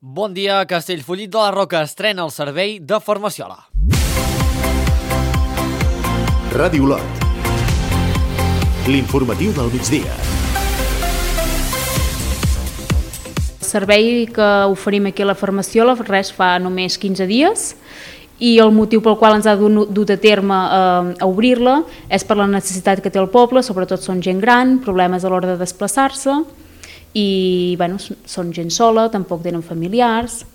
Bon dia, Castellfollit de la Roca estrena el servei de Farmaciola. Ràdio Lot. L'informatiu del migdia. El servei que oferim aquí a la Farmaciola fa només 15 dies i el motiu pel qual ens ha dut a terme a obrir-la és per la necessitat que té el poble, sobretot són gent gran, problemes a l'hora de desplaçar-se i són gent sola, tampoc tenen familiars.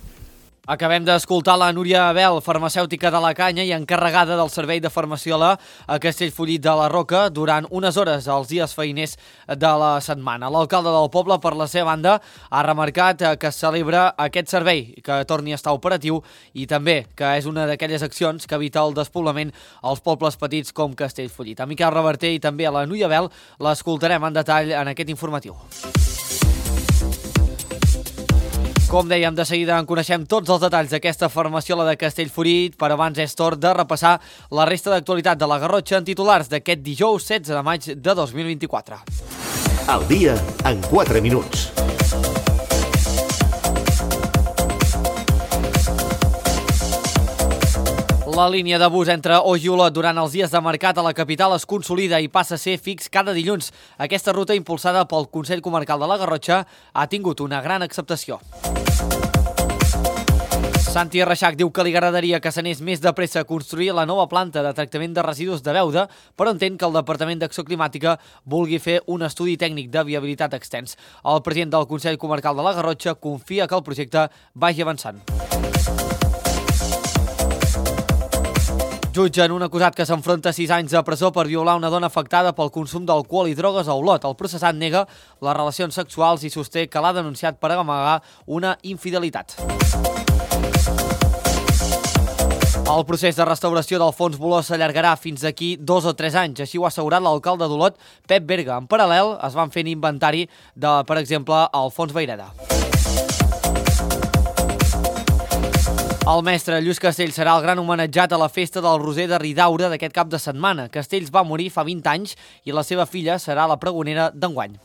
Acabem d'escoltar la Núria Abel, farmacèutica de la Canya i encarregada del servei de Farmaciola a Castellfollit de la Roca durant unes hores als dies feiners de la setmana. L'alcalde del poble, per la seva banda, ha remarcat que celebra aquest servei, que torni a estar operatiu i també que és una d'aquelles accions que evita el despoblament als pobles petits com Castellfollit. A Miquel Reverter i també a la Núria Abel l'escoltarem en detall en aquest informatiu. Com dèiem, de seguida en coneixem tots els detalls d'aquesta Farmaciola de Castellfollit, però abans és torn de repassar la resta d'actualitat de la Garrotxa en titulars d'aquest dijous 16 de maig de 2024. Al dia en 4 minuts. La línia de bus entre Oix i Olot durant els dies de mercat a la capital es consolida i passa a ser fix cada dilluns. Aquesta ruta, impulsada pel Consell Comarcal de la Garrotxa, ha tingut una gran acceptació. Santi Reixac diu que li agradaria que s'anés més de pressa a construir la nova planta de tractament de residus de Beuda, però entén que el Departament d'Acció Climàtica vulgui fer un estudi tècnic de viabilitat extens. El president del Consell Comarcal de la Garrotxa confia que el projecte vagi avançant. Jutgen un acusat que s'enfronta a 6 anys de presó per violar una dona afectada pel consum d'alcohol i drogues a Olot. El processat nega les relacions sexuals i sosté que l'ha denunciat per amagar una infidelitat. El procés de restauració del fons Boló s'allargarà fins d'aquí 2 o 3 anys. Així ho ha assegurat l'alcalde d'Olot, Pep Berga. En paral·lel, es van fent inventari de, per exemple, el fons Vayreda. El mestre Lluís Castells serà el gran homenatjat a la festa del Roser de Ridaura d'aquest cap de setmana. Castells va morir fa 20 anys i la seva filla serà la pregonera d'enguany.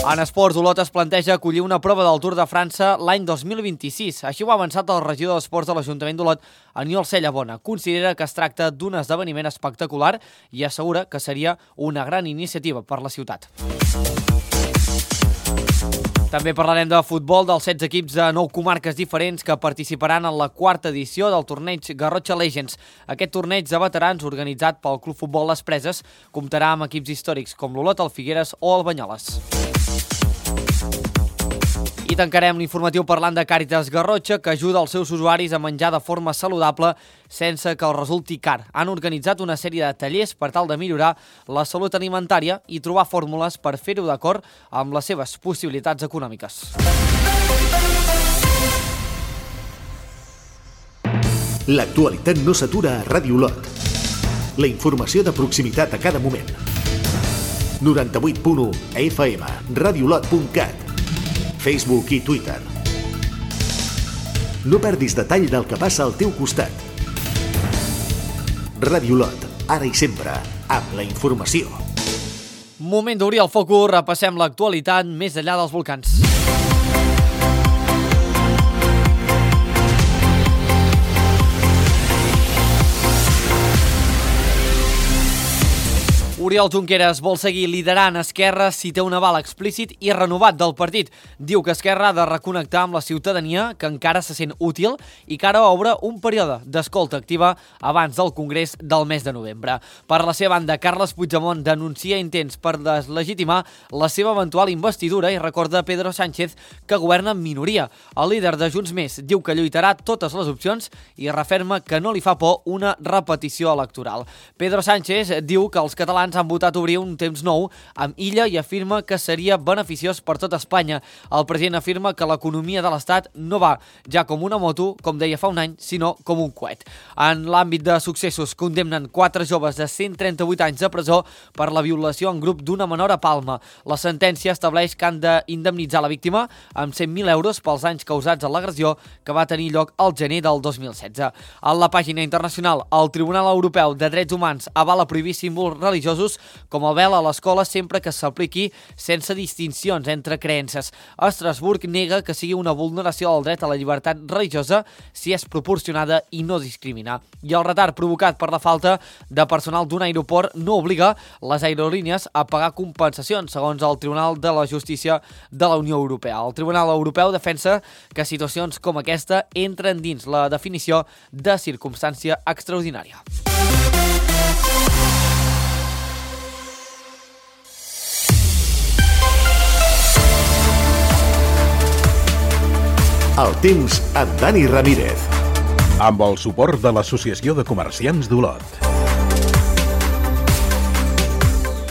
En esports, Olot es planteja acollir una prova del Tour de França l'any 2026. Així ho ha avançat el regidor d'Esports de l'Ajuntament d'Olot, Aniol Cellabona. Considera que es tracta d'un esdeveniment espectacular i assegura que seria una gran iniciativa per la ciutat. També parlarem de futbol dels 16 equips de 9 comarques diferents que participaran en la 4ª edició del torneig Garrotxa Legends. Aquest torneig de veterans organitzat pel Club Futbol Les Preses comptarà amb equips històrics com l'Olot, el Figueres o el Banyoles. I tancarem l'informatiu parlant de Càritas Garrotxa, que ajuda els seus usuaris a menjar de forma saludable sense que els resulti car. Han organitzat una sèrie de tallers per tal de millorar la salut alimentària i trobar fórmules per fer-ho d'acord amb les seves possibilitats econòmiques. L'actualitat no s'atura a Ràdio Lot. La informació de proximitat a cada moment. 98.1 FM, radiolot.cat, Facebook i Twitter. No perdis detall del que passa al teu costat. Ràdio Lot, ara i sempre, amb la informació. Moment d'obrir el focus, repassem l'actualitat més enllà dels volcans. Oriol Junqueras vol seguir liderant Esquerra si té un aval explícit i renovat del partit. Diu que Esquerra ha de reconnectar amb la ciutadania, que encara se sent útil i que ara obre un període d'escolta activa abans del Congrés del mes de novembre. Per la seva banda, Carles Puigdemont denuncia intents per deslegitimar la seva eventual investidura i recorda a Pedro Sánchez que governa en minoria. El líder de Junts Més diu que lluitarà totes les opcions i referma que no li fa por una repetició electoral. Pedro Sánchez diu que els catalans han votat obrir un temps nou amb Illa i afirma que seria beneficiós per tot Espanya. El president afirma que l'economia de l'Estat no va ja com una moto, com deia fa un any, sinó com un coet. En l'àmbit de successos, condemnen 4 joves de 138 anys de presó per la violació en grup d'una menor a Palma. La sentència estableix que han d'indemnitzar la víctima amb 100.000 euros pels anys causats a l'agressió que va tenir lloc al gener del 2016. En la pàgina internacional, el Tribunal Europeu de Drets Humans avala prohibir símbols religiosos religiosos com el vel a l'escola sempre que s'apliqui sense distincions entre creences. Estrasburg nega que sigui una vulneració del dret a la llibertat religiosa si és proporcionada i no discrimina. I el retard provocat per la falta de personal d'un aeroport no obliga les aerolínies a pagar compensacions, segons el Tribunal de la Justícia de la Unió Europea. El Tribunal Europeu defensa que situacions com aquesta entren dins la definició de circumstància extraordinària. El temps amb Dani Ramírez. Amb el suport de l'Associació de Comerciants d'Olot.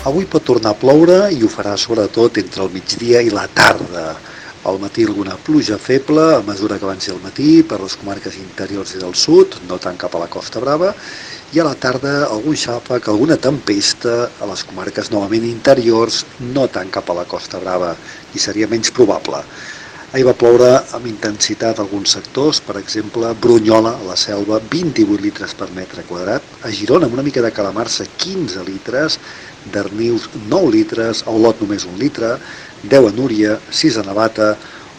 Avui pot tornar a ploure i ho farà sobretot entre el migdia i la tarda. Al matí alguna pluja feble a mesura que avanci el matí per les comarques interiors i del sud, no tant cap a la Costa Brava, i a la tarda algun xàfec, alguna tempesta a les comarques novament interiors, no tant cap a la Costa Brava, i seria menys probable. Ahir va ploure amb intensitat a alguns sectors, per exemple, Brunyola, a la Selva, 28 litres per metre quadrat, a Girona, amb una mica de calamarsa, 15 litres, Darnius, 9 litres, a Olot només 1 litre, 10 a Núria, 6 a Navata,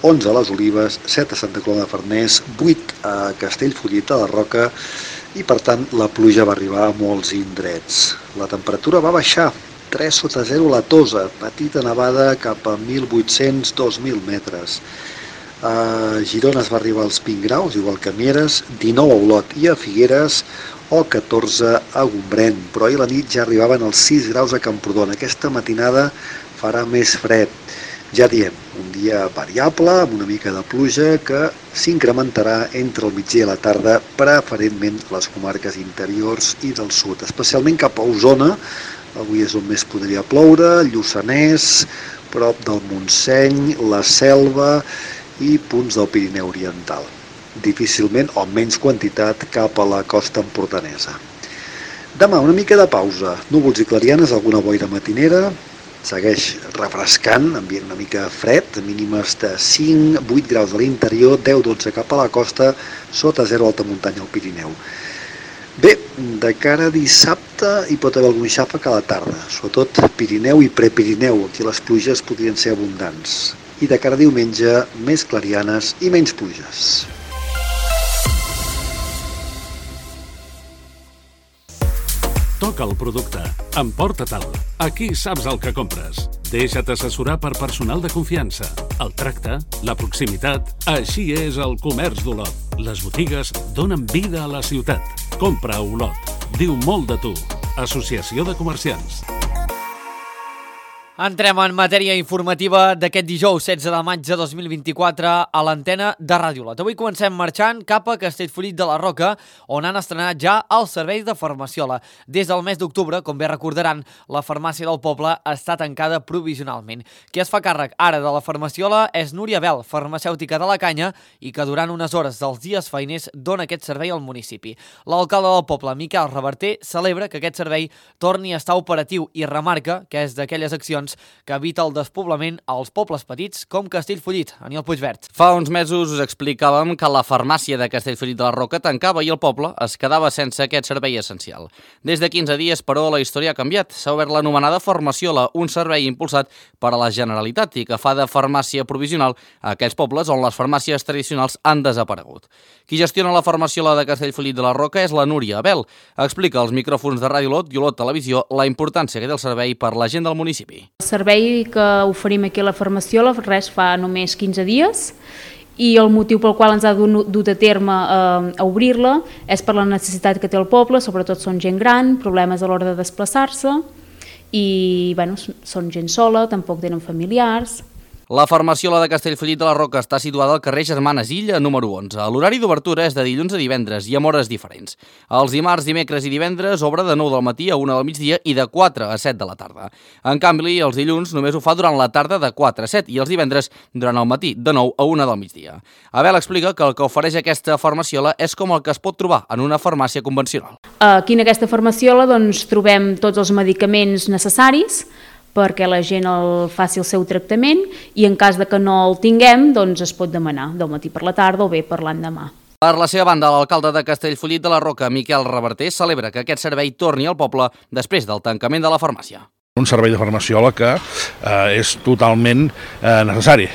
11 a les Olives, 7 a Santa Coloma de Farners, 8 a Castellfollit, a la Roca, i per tant la pluja va arribar a molts indrets. La temperatura va baixar, 3 sota 0 a la Tosa, petita nevada cap a 1.800-2.000 metres. A Girona es va arribar als 20 graus, igual que a Mieres, 19 a Olot i a Figueres, o 14 a Gombrèn, però ahir a la nit ja arribaven als 6 graus a Camprodon. Aquesta matinada farà més fred. Ja diem, un dia variable, amb una mica de pluja, que s'incrementarà entre el migdia i la tarda, preferentment a les comarques interiors i del sud, especialment cap a Osona. Avui és on més podria ploure, Lluçanès, prop del Montseny, la Selva i punts del Pirineu Oriental. Difícilment o menys quantitat cap a la costa empordanesa. Demà una mica de pausa, núvols i clarianes, alguna boira matinera, segueix refrescant, ambient una mica fred, mínimes de 5-8 graus a l'interior, 10-12 cap a la costa, sota 0 alta muntanya al Pirineu. Bé, de cara a dissabte hi pot haver algun xàfec a la tarda, sobretot Pirineu i Prepirineu, aquí les pluges podrien ser abundants. I de cara a diumenge, més clarianes i menys pluges. Toca el producte. Emporta-te'l. Aquí saps el que compres. Deixa't assessorar per personal de confiança. El tracte, la proximitat... Així és el comerç d'Olot. Les botigues donen vida a la ciutat. Compra a Olot. Diu molt de tu. Associació de Comerciants. Entrem en matèria informativa d'aquest dijous 16 de maig de 2024 a l'antena de Ràdio Olot. Avui comencem marxant cap a Castellfollit de la Roca, on han estrenat ja el servei de farmaciola. Des del mes d'octubre, com bé recordaran, la farmàcia del poble està tancada provisionalment. Qui es fa càrrec ara de la farmaciola és Núria Bel, farmacèutica de la Canya, i que durant unes hores dels dies feiners dona aquest servei al municipi. L'alcalde del poble, Miquel Reverter, celebra que aquest servei torni a estar operatiu i remarca que és d'aquelles accions que evita el despoblament als pobles petits com Castellfollit. Aniol Puigvert. Fa uns mesos us explicàvem que la farmàcia de Castellfollit de la Roca tancava i el poble es quedava sense aquest servei essencial. Des de 15 dies, però, la història ha canviat. S'ha obert l'anomenada Farmaciola, un servei impulsat per a la Generalitat i que fa de farmàcia provisional a aquells pobles on les farmàcies tradicionals han desaparegut. Qui gestiona la Farmaciola de Castellfollit de la Roca és la Núria Bel. Explica als micròfons de Ràdio Olot i Olot Televisió la importància que té el servei per la gent del municipi. El servei que oferim aquí a la Farmaciola fa només 15 dies i el motiu pel qual ens ha dut a terme a obrir-la és per la necessitat que té el poble, sobretot són gent gran, problemes a l'hora de desplaçar-se i són gent sola, tampoc tenen familiars. La Farmaciola de Castellfollit de la Roca està situada al carrer Germanes Illa, número 11. L'horari d'obertura és de dilluns a divendres i amb hores diferents. Els dimarts, dimecres i divendres obre de 9 del matí a 1 del migdia i de 4 a 7 de la tarda. En canvi, els dilluns només ho fa durant la tarda de 4 a 7 i els divendres durant el matí de 9 a 1 del migdia. Abel explica que el que ofereix aquesta farmaciola és com el que es pot trobar en una farmàcia convencional. Aquí en aquesta farmaciola trobem tots els medicaments necessaris perquè la gent faci el seu tractament i en cas de que no el tinguem es pot demanar del matí per la tarda o bé per l'endemà. Per la seva banda, l'alcalde de Castellfollit de la Roca, Miquel Reverter, celebra que aquest servei torni al poble després del tancament de la farmàcia. Un servei de farmaciola que és totalment necessari.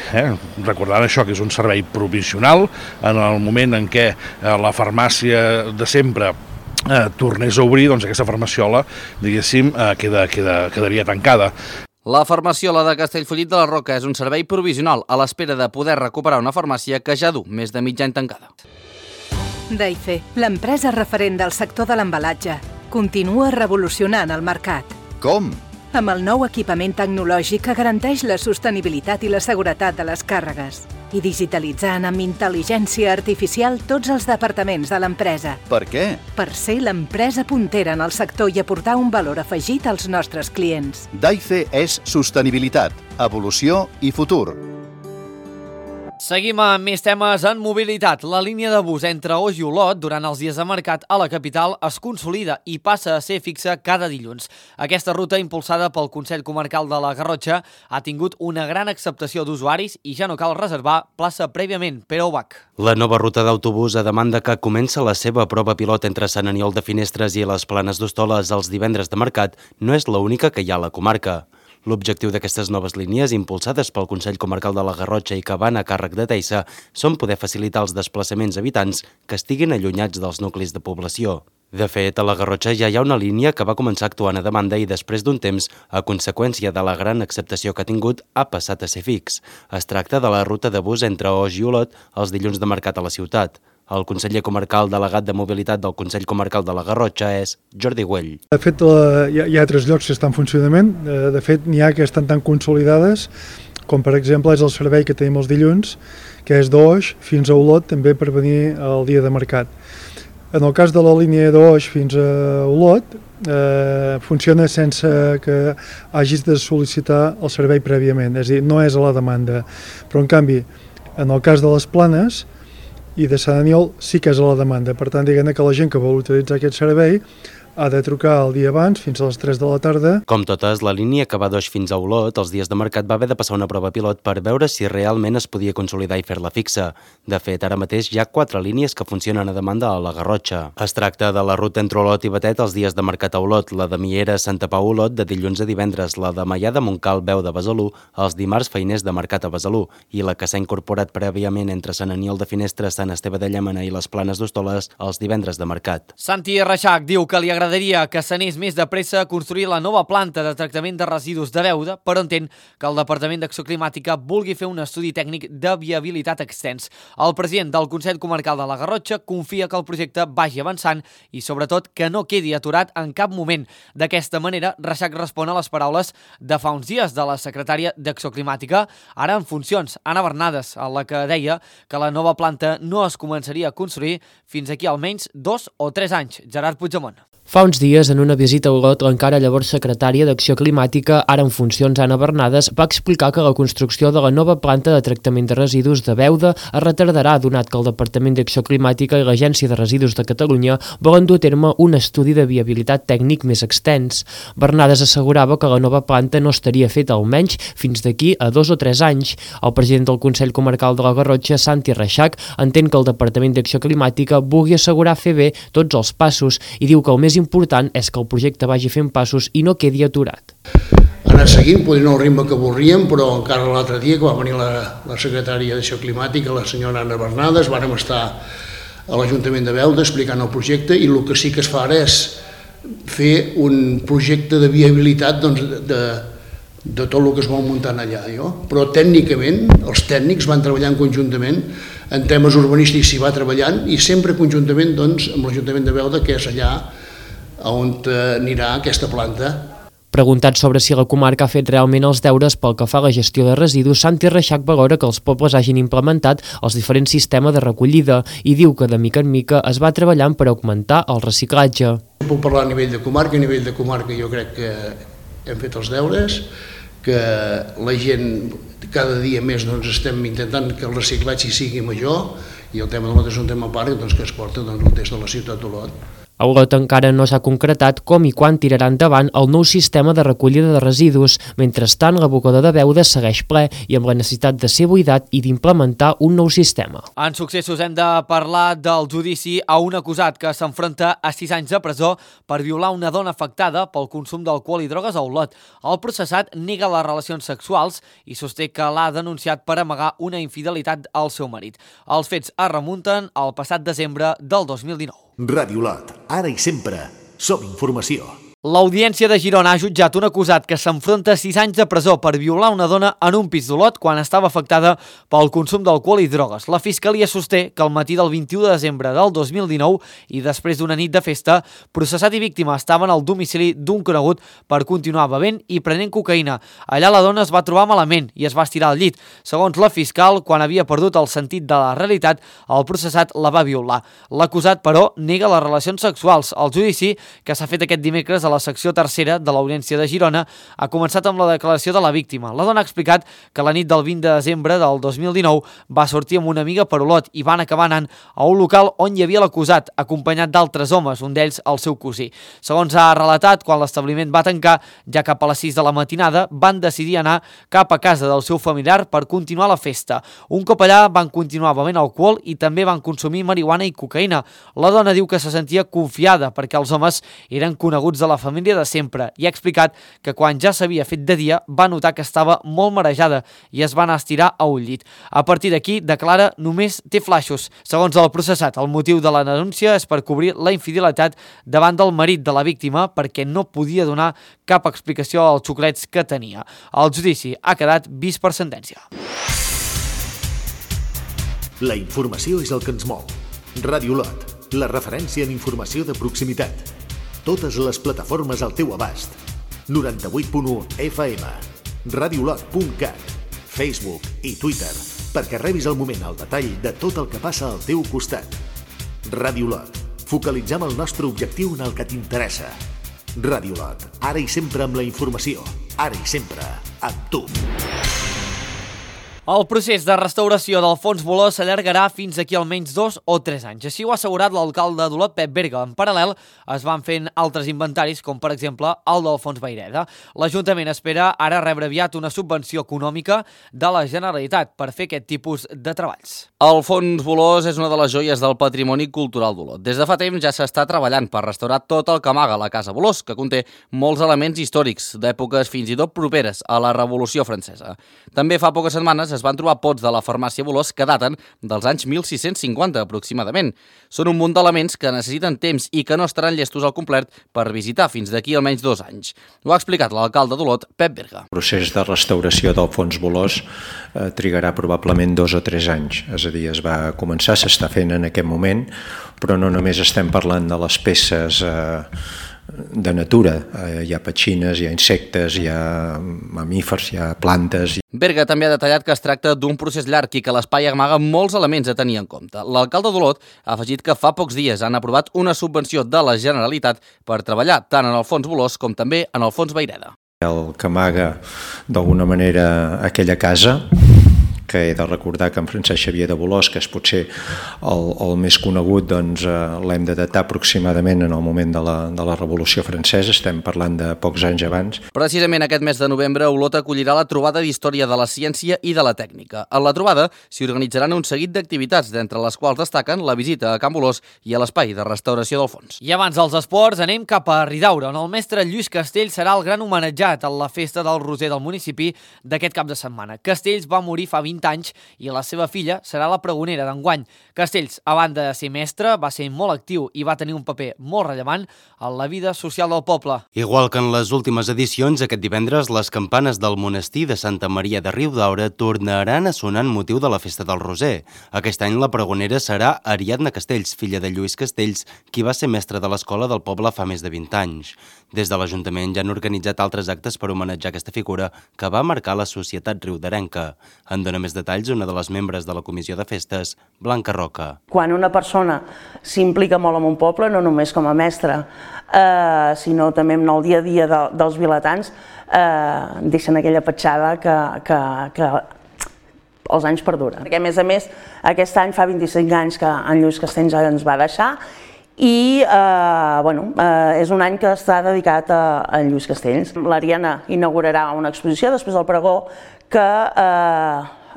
Recordant això, que és un servei provisional, en el moment en què la farmàcia de sempre tornés a obrir, doncs aquesta farmaciola, diguéssim, quedaria tancada. La farmaciola de Castellfollit de la Roca és un servei provisional a l'espera de poder recuperar una farmàcia que ja du més de mig any tancada. Daife, l'empresa referent del sector de l'embalatge, continua revolucionant el mercat. Com? Amb el nou equipament tecnològic que garanteix la sostenibilitat i la seguretat de les càrregues i digitalitzant amb intel·ligència artificial tots els departaments de l'empresa. Per què? Per ser l'empresa puntera en el sector i aportar un valor afegit als nostres clients. Daife és sostenibilitat, evolució i futur. Seguim amb més temes en mobilitat. La línia de bus entre Oix i Olot durant els dies de mercat a la capital es consolida i passa a ser fixa cada dilluns. Aquesta ruta, impulsada pel Consell Comarcal de la Garrotxa, ha tingut una gran acceptació d'usuaris i ja no cal reservar plaça prèviament. Pere Ubach. La nova ruta d'autobús a demanda que comença la seva prova pilot entre Sant Aniol de Finestres i les Planes d'Hostoles els divendres de mercat no és l'única que hi ha a la comarca. L'objectiu d'aquestes noves línies, impulsades pel Consell Comarcal de la Garrotxa i que van a càrrec de Teissa, són poder facilitar els desplaçaments a habitants que estiguin allunyats dels nuclis de població. De fet, a la Garrotxa ja hi ha una línia que va començar actuant a demanda i després d'un temps, a conseqüència de la gran acceptació que ha tingut, ha passat a ser fix. Es tracta de la ruta de bus entre Oix i Olot els dilluns de mercat a la ciutat. El conseller comarcal delegat de mobilitat del Consell Comarcal de la Garrotxa és Jordi Güell. De fet, hi ha 3 llocs que estan en funcionament. De fet, n'hi ha que estan tan consolidades com, per exemple, és el servei que tenim els dilluns, que és d'Oix fins a Olot, també per venir al dia de mercat. En el cas de la línia d'Oix fins a Olot, funciona sense que hagis de sol·licitar el servei prèviament, és a dir, no és a la demanda. Però, en canvi, en el cas de les Planes i de Sant Aniol sí que és a la demanda. Per tant, diguem que la gent que vol utilitzar aquest servei ha de trucar el dia abans, fins a les 3 de la tarda. Com totes, la línia que va d'Oix fins a Olot, els dies de mercat va haver de passar una prova pilot per veure si realment es podia consolidar i fer-la fixa. De fet, ara mateix hi ha 4 línies que funcionen a demanda a la Garrotxa. Es tracta de la ruta entre Olot i Batet els dies de mercat a Olot, la de Miera Santa Pau Olot de dilluns a divendres, la de Maià de Montcal Veu de Besalú els dimarts feiners de mercat a Besalú i la que s'ha incorporat prèviament entre Sant Aniol de Finestres, Sant Esteve de Llémena i les Planes d'Hostoles els divendres de mercat. Santi Reixac diu que li agradaria que s'anés més de pressa a construir la nova planta de tractament de residus de Beuda, però entén que el Departament d'Acció Climàtica vulgui fer un estudi tècnic de viabilitat extens. El president del Consell Comarcal de la Garrotxa confia que el projecte vagi avançant i, sobretot, que no quedi aturat en cap moment. D'aquesta manera, Reixac respon a les paraules de fa uns dies de la secretària d'Acció Climàtica, ara en funcions, Anna Bernades, a la que deia que la nova planta no es començaria a construir fins aquí almenys 2 o 3 anys. Gerard Puigdemont. Fa uns dies, en una visita a Olot, l'encara llavors secretària d'Acció Climàtica, ara en funcions Anna Bernades, va explicar que la construcció de la nova planta de tractament de residus de Beuda es retardarà, donat que el Departament d'Acció Climàtica i l'Agència de Residus de Catalunya volen dur a terme un estudi de viabilitat tècnic més extens. Bernades assegurava que la nova planta no estaria feta almenys fins d'aquí a 2 o 3 anys. El president del Consell Comarcal de la Garrotxa, Santi Reixac, entén que el Departament d'Acció Climàtica vulgui assegurar fer bé tots els passos i diu que el més important és que el projecte vagi fent passos i no quedi aturat. Anar seguint, potser no el ritme que voldríem, però encara l'altre dia que va venir la secretària d'Acció Climàtica, la senyora Anna Bernades, vàrem estar a l'Ajuntament de Beuda explicant el projecte i el que sí que es fa ara és fer un projecte de viabilitat de tot el que es vol muntant allà. Però tècnicament, els tècnics van treballant conjuntament, en temes urbanístics s'hi va treballant i sempre conjuntament amb l'Ajuntament de Beuda, que és allà on anirà aquesta planta. Preguntat sobre si la comarca ha fet realment els deures pel que fa a la gestió de residus, Santi Reixac valora que els pobles hagin implementat els diferents sistemes de recollida i diu que de mica en mica es va treballant per augmentar el reciclatge. Puc parlar a nivell de comarca jo crec que hem fet els deures, que la gent cada dia més estem intentant que el reciclatge sigui major i el tema de l'Olot és un tema a part que es porta des de la ciutat d'Olot. A Olot encara no s'ha concretat com i quan tirarà endavant el nou sistema de recollida de residus. Mentrestant, l'abocador de Beuda segueix ple i amb la necessitat de ser buidat i d'implementar un nou sistema. En successos hem de parlar del judici a un acusat que s'enfronta a 6 anys de presó per violar una dona afectada pel consum d'alcohol i drogues a Olot. El processat nega les relacions sexuals i sosté que l'ha denunciat per amagar una infidelitat al seu marit. Els fets es remunten al passat desembre del 2019. Ràdio Olot, ara i sempre, som informació. L'Audiència de Girona ha jutjat un acusat que s'enfronta a 6 anys de presó per violar una dona en un pis d'Olot quan estava afectada pel consum d'alcohol i drogues. La Fiscalia sosté que al matí del 21 de desembre del 2019 i després d'una nit de festa, processat i víctima estaven al domicili d'un conegut per continuar bevent i prenent cocaïna. Allà la dona es va trobar malament i es va estirar al llit. Segons la fiscal, quan havia perdut el sentit de la realitat, el processat la va violar. L'acusat, però, nega les relacions sexuals. El judici, que s'ha fet aquest dimecres a la secció tercera de l'Audiència de Girona, ha començat amb la declaració de la víctima. La dona ha explicat que la nit del 20 de desembre del 2019 va sortir amb una amiga per Olot i van acabar anant a un local on hi havia l'acusat, acompanyat d'altres homes, un d'ells el seu cosí. Segons ha relatat, quan l'establiment va tancar, ja cap a les 6 de la matinada, van decidir anar cap a casa del seu familiar per continuar la festa. Un cop allà van continuar bevent alcohol i també van consumir marihuana i cocaïna. La dona diu que se sentia confiada perquè els homes eren coneguts de la família de sempre i ha explicat que quan ja s'havia fet de dia va notar que estava molt marejada i es va anar a estirar a un llit. A partir d'aquí, declara, només té flaixos. Segons el processat, el motiu de la denúncia és per cobrir la infidelitat davant del marit de la víctima perquè no podia donar cap explicació als xoclets que tenia. El judici ha quedat vist per sentència. La informació és el que ens mou. Ràdio Olot, la referència en informació de proximitat. Totes les plataformes al teu abast. 98.1 FM, radiolot.cat, Facebook i Twitter, perquè rebis al moment el detall de tot el que passa al teu costat. Ràdio Olot, focalitzem el nostre objectiu en el que t'interessa. Ràdio Olot, ara i sempre amb la informació, ara i sempre amb tu. El procés de restauració del fons Boló s'allargarà fins aquí almenys 2 o 3 anys. Així ho ha assegurat l'alcalde d'Olot, Pep Berga. En paral·lel, es van fent altres inventaris, com per exemple el del fons Vayreda. L'Ajuntament espera ara rebre aviat una subvenció econòmica de la Generalitat per fer aquest tipus de treballs. El fons Bolós és una de les joies del patrimoni cultural d'Olot. Des de fa temps ja s'està treballant per restaurar tot el que amaga la Casa Bolós, que conté molts elements històrics d'èpoques fins i tot properes a la Revolució Francesa. També fa poques setmanes es van trobar pots de la farmàcia Bolós que daten dels anys 1650 aproximadament. Són un munt d'elements que necessiten temps i que no estaran llestos al complet per visitar fins d'aquí almenys 2 anys. Ho ha explicat l'alcalde d'Olot, Pep Berga. El procés de restauració del fons Bolós trigarà probablement 2 o 3 anys. És a dir, es va començar, s'està fent en aquest moment, però no només estem parlant de les peces de natura. Hi ha petxines, hi ha insectes, hi ha mamífers, hi ha plantes. Berga també ha detallat que es tracta d'un procés llarg i que l'espai amaga molts elements a tenir en compte. L'alcalde d'Olot ha afegit que fa pocs dies han aprovat una subvenció de la Generalitat per treballar tant en el fons Bolós com també en el fons Vayreda. El que amaga d'alguna manera aquella casa, que he de recordar que en Francesc Xavier de Bolós, que és potser el més conegut, doncs l'hem de datar aproximadament en el moment de la Revolució Francesa, estem parlant de pocs anys abans. Precisament aquest mes de novembre, Olot acollirà la trobada d'Història de la Ciència i de la Tècnica. En la trobada s'hi organitzaran un seguit d'activitats, d'entre les quals destaquen la visita a Can Bolós i a l'espai de restauració del fons. I abans dels esports anem cap a Ridaura, on el mestre Lluís Castells serà el gran homenatjat a la festa del Roser del municipi d'aquest cap de setmana. Castells va morir fa 20 anys i la seva filla serà la pregonera d'enguany. Castells, a banda de ser mestre, va ser molt actiu i va tenir un paper molt rellevant en la vida social del poble. Igual que en les últimes edicions, aquest divendres les campanes del monestir de Santa Maria de Riudaura tornaran a sonar en motiu de la festa del Roser. Aquest any la pregonera serà Ariadna Castells, filla de Lluís Castells, qui va ser mestre de l'escola del poble fa més de 20 anys. Des de l'Ajuntament ja han organitzat altres actes per homenatjar aquesta figura que va marcar la societat riudarenca. En dona més detalls una de les membres de la Comissió de Festes, Blanca Roca. Quan una persona s'implica molt en un poble, no només com a mestre, sinó també en el dia a dia dels vilatans, deixen aquella petjada que els anys perduren. Perquè, a més, aquest any fa 25 anys que en Lluís Castells ens va deixar i és un any que està dedicat a Lluís Castells. L'Ariana inaugurarà una exposició després del pregó que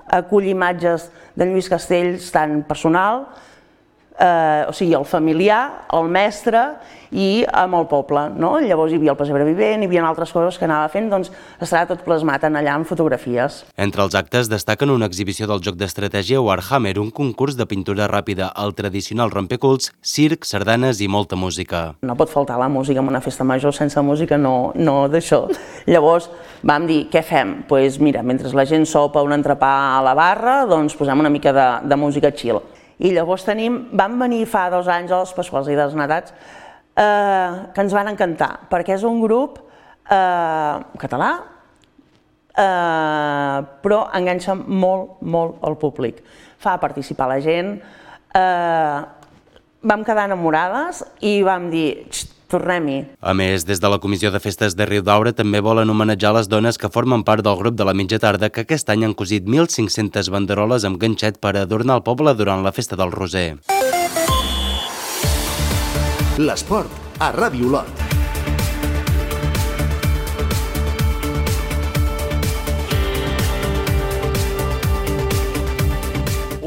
acull imatges de Lluís Castells tant personal, o sigui, el familiar, el mestre i amb el poble. Llavors hi havia el pessebre vivent, hi havia altres coses que anava fent, doncs estarà tot plasmat allà en fotografies. Entre els actes destaquen una exhibició del joc d'estratègia Warhammer, un concurs de pintura ràpida, el tradicional rompeculs, circ, sardanes i molta música. No pot faltar la música en una festa major, sense música no d'això. Llavors vam dir, què fem? Doncs mira, mentre la gent sopa un entrepà a la barra, doncs posem una mica de música chill. I llavors van venir fa 2 anys els Pasquals i dels Natats que ens van encantar, perquè és un grup català, però enganxa molt el públic. Fa participar la gent, vam quedar enamorades i vam dir, tornem-hi. A més, des de la Comissió de Festes de Riudaura també volen homenatjar les dones que formen part del grup de la mitja tarda que aquest any han cosit 1.500 banderoles amb ganxet per adornar el poble durant la festa del Roser. L'esport a Ràdio Olot.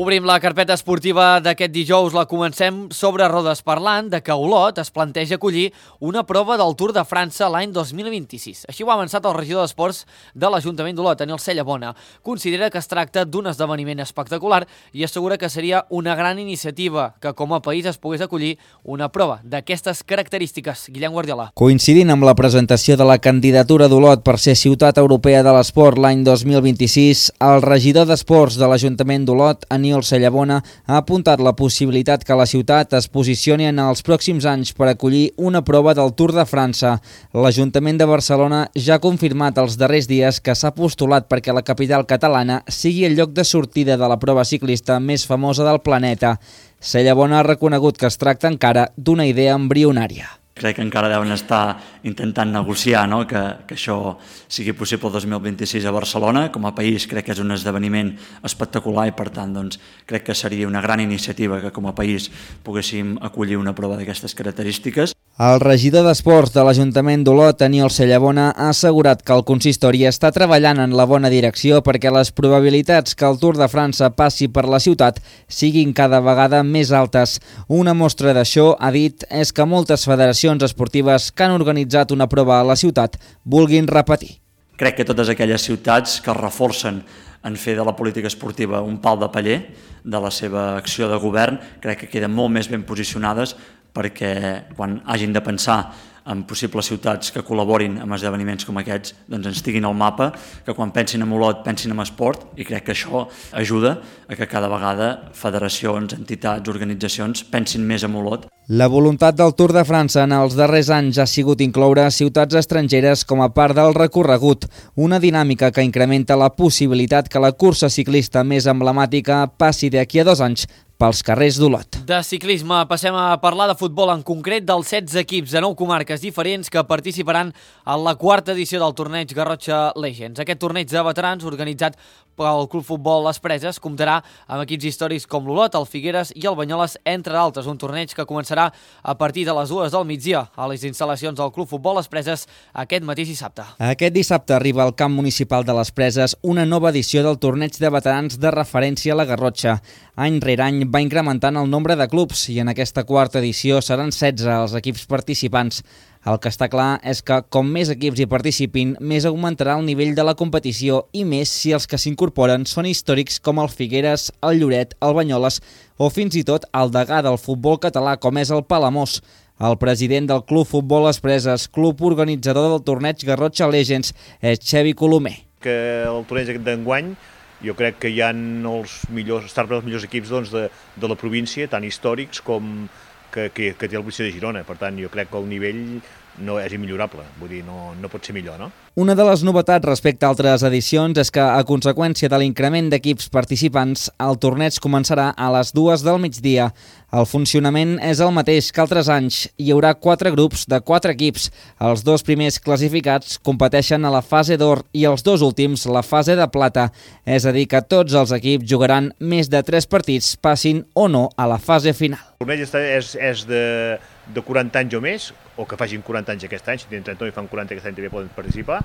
Obrim la carpeta esportiva d'aquest dijous, la comencem sobre rodes parlant de que Olot es planteja acollir una prova del Tour de França l'any 2026. Així ho ha avançat el regidor d'Esports de l'Ajuntament d'Olot, Daniel Cellabona. Considera que es tracta d'un esdeveniment espectacular i assegura que seria una gran iniciativa que com a país es pogués acollir una prova d'aquestes característiques. Guillem Guardiola. Coincidint amb la presentació de la candidatura d'Olot per ser Ciutat Europea de l'Esport l'any 2026, el regidor d'Esports de l'Ajuntament d'Olot, Daniel Cellabona, ha apuntat la possibilitat que la ciutat es posicioni en els pròxims anys per acollir una prova del Tour de França. L'Ajuntament de Barcelona ja ha confirmat els darrers dies que s'ha postulat perquè la capital catalana sigui el lloc de sortida de la prova ciclista més famosa del planeta. Cellabona ha reconegut que es tracta encara d'una idea embrionària. Crec que encara deuen estar intentant negociar que això sigui possible el 2026 a Barcelona. Com a país crec que és un esdeveniment espectacular i per tant crec que seria una gran iniciativa que com a país poguéssim acollir una prova d'aquestes característiques. El regidor d'Esports de l'Ajuntament d'Olot, Daniel Cellabona, ha assegurat que el consistori està treballant en la bona direcció perquè les probabilitats que el Tour de França passi per la ciutat siguin cada vegada més altes. Una mostra d'això, ha dit, és que moltes federacions esportives que han organitzat una prova a la ciutat vulguin repetir. Crec que totes aquelles ciutats que es reforcen en fer de la política esportiva un pal de paller de la seva acció de govern, crec que queden molt més ben posicionades perquè quan hagin de pensar en possibles ciutats que col·laborin amb esdeveniments com aquests, doncs ens tinguin al mapa, que quan pensin en Olot pensin en esport, i crec que això ajuda a que cada vegada federacions, entitats, organitzacions pensin més en Olot. La voluntat del Tour de França en els darrers anys ha sigut incloure ciutats estrangeres com a part del recorregut, una dinàmica que incrementa la possibilitat que la cursa ciclista més emblemàtica passi d'aquí a 2 anys pels carrers d'Olot. De ciclisme passem a parlar de futbol, en concret dels 16 equips de 9 comarques diferents que participaran en la 4ª edició del torneig Garrotxa Legends. Aquest torneig de veterans, organitzat pel Club Futbol Les Preses, comptarà amb equips històrics com l'Olot, el Figueres i el Banyoles, entre d'altres. Un torneig que començarà a partir de les 2 del migdia a les instal·lacions del Club Futbol Les Preses aquest mateix dissabte. Aquest dissabte arriba al camp municipal de Les Preses una nova edició del torneig de veterans de referència a la Garrotxa. Any rere any va incrementant el nombre de clubs i en aquesta 4ª edició seran 16 els equips participants. El que està clar és que com més equips hi participin, més augmentarà el nivell de la competició i més si els que s'incorporen són històrics com el Figueres, el Lloret, el Banyoles o fins i tot el degà del futbol català com és el Palamós. El president del Club Futbol Les Preses, club organitzador del torneig Garrotxa Legends, és Xevi Colomer. Que el torneig d'enguany jo crec que hi ha els millors equips de la província, tant històrics com que té el Policia de Girona. Per tant, jo crec que el nivell no és immillorable, vull dir, no pot ser millor, no? Una de les novetats respecte a altres edicions és que, a conseqüència de l'increment d'equips participants, el torneig començarà a les 2 del migdia. El funcionament és el mateix que altres anys. Hi haurà 4 grups de 4 equips. Els 2 primers classificats competeixen a la fase d'or i els 2 últims la fase de plata. És a dir, que tots els equips jugaran més de 3 partits, passin o no a la fase final. El torneig és de 40 anys o més, o que facin 40 anys aquest any, si tenen 39 i fan 40 aquest any també poden participar,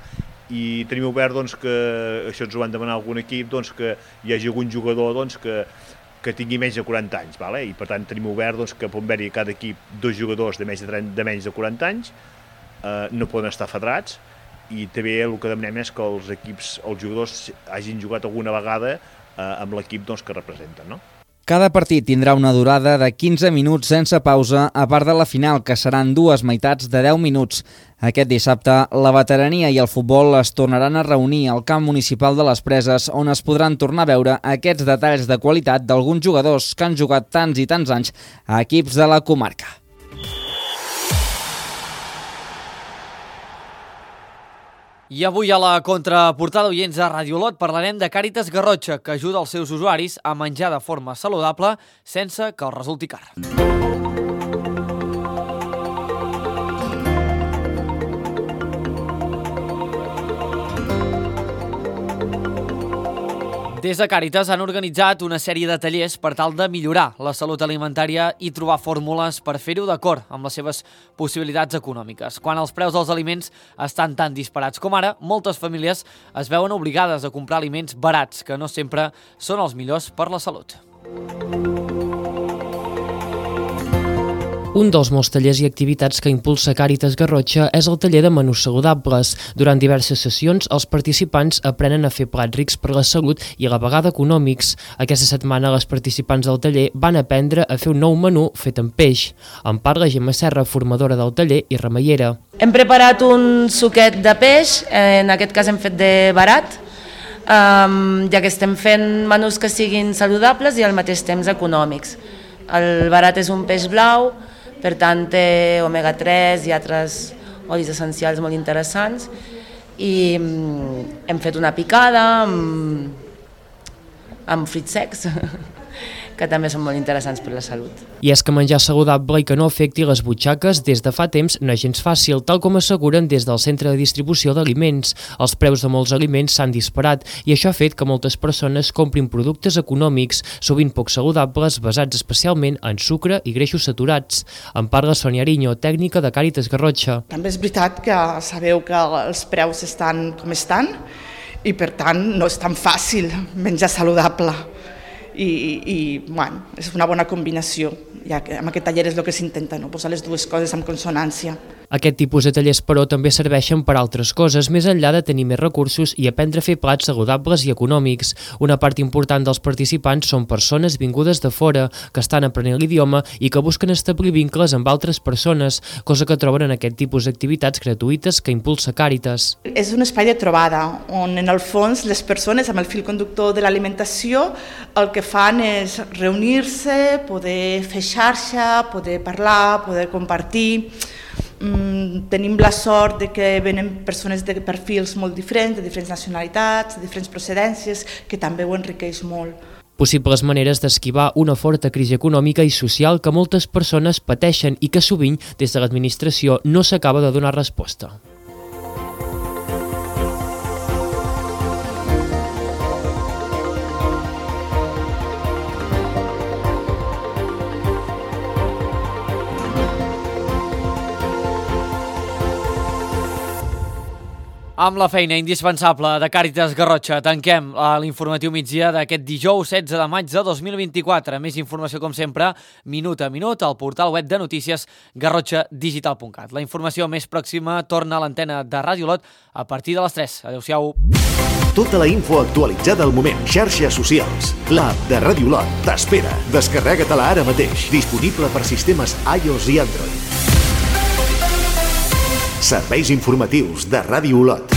i tenim obert que, això ens ho van demanar algun equip, que hi hagi algun jugador que tingui menys de 40 anys, i per tant tenim obert que pot haver-hi cada equip 2 jugadors de menys de 40 anys, no poden estar federats, i també el que demanem és que els jugadors hagin jugat alguna vegada amb l'equip que representen, no? Cada partit tindrà una durada de 15 minuts sense pausa, a part de la final, que seran 2 meitats de 10 minuts. Aquest dissabte, la veterania i el futbol es tornaran a reunir al camp municipal de les Preses, on es podran tornar a veure aquests detalls de qualitat d'alguns jugadors que han jugat tants i tants anys a equips de la comarca. I avui a la contraportada oients de Ràdio Olot parlarem de Càritas Garrotxa, que ajuda els seus usuaris a menjar de forma saludable sense que els resulti car. Des de Càritas han organitzat una sèrie de tallers per tal de millorar la salut alimentària i trobar fórmules per fer-ho d'acord amb les seves possibilitats econòmiques. Quan els preus dels aliments estan tan disparats com ara, moltes famílies es veuen obligades a comprar aliments barats, que no sempre són els millors per la salut. Un dels molts tallers i activitats que impulsa Càritas Garrotxa és el taller de menús saludables. Durant diverses sessions, els participants aprenen a fer plats rics per la salut i a la vegada econòmics. Aquesta setmana, les participants del taller van aprendre a fer un nou menú fet amb peix. En parla Gemma Serra, formadora del taller i remeiera. Hem preparat un suquet de peix, en aquest cas hem fet de barat, ja que estem fent menús que siguin saludables i al mateix temps econòmics. El barat és un peix blau, per tant té omega-3 i altres olis essencials molt interessants, i hem fet una picada amb fruits secs que també són molt interessants per la salut. I és que menjar saludable i que no afecti les butxaques des de fa temps no és gens fàcil, tal com asseguren des del Centre de Distribució d'Aliments. Els preus de molts aliments s'han disparat i això ha fet que moltes persones comprin productes econòmics, sovint poc saludables, basats especialment en sucre i greixos saturats. En parla Sònia Ariño, tècnica de Càritas Garrotxa. També és veritat que sabeu que els preus estan com estan i per tant no és tan fàcil menjar saludable. I bueno, és una bona combinació, ja que amb aquest taller és el que s'intenta, no? Posar les dues coses en consonància. Aquest tipus de tallers, però, també serveixen per altres coses, més enllà de tenir més recursos i aprendre a fer plats saludables i econòmics. Una part important dels participants són persones vingudes de fora, que estan aprenent l'idioma i que busquen establir vincles amb altres persones, cosa que troben en aquest tipus d'activitats gratuïtes que impulsa Càritas. És un espai de trobada, on en el fons les persones amb el fil conductor de l'alimentació el que fan és reunir-se, poder fer xarxa, poder parlar, poder compartir. Tenim la sort de que venen persones de perfils molt diferents, de diferents nacionalitats, de diferents procedències, que també ho enriqueix molt. Possibles maneres d'esquivar una forta crisi econòmica i social que moltes persones pateixen i que sovint des de l'administració no s'acaba de donar resposta. Amb la feina indispensable de Càritas Garrotxa tanquem l'informatiu migdia d'aquest dijous 16 de maig de 2024. Més informació, com sempre, minut a minut, al portal web de notícies garrotxadigital.cat. La informació més pròxima torna a l'antena de Ràdio Olot a partir de les 3. Adéu-siau. Tota la info actualitzada al moment. Xarxes socials. L'app de Ràdio Olot t'espera. Descarrega-te-la ara mateix. Disponible per sistemes iOS i Android. Serveis informatius de Ràdio Olot.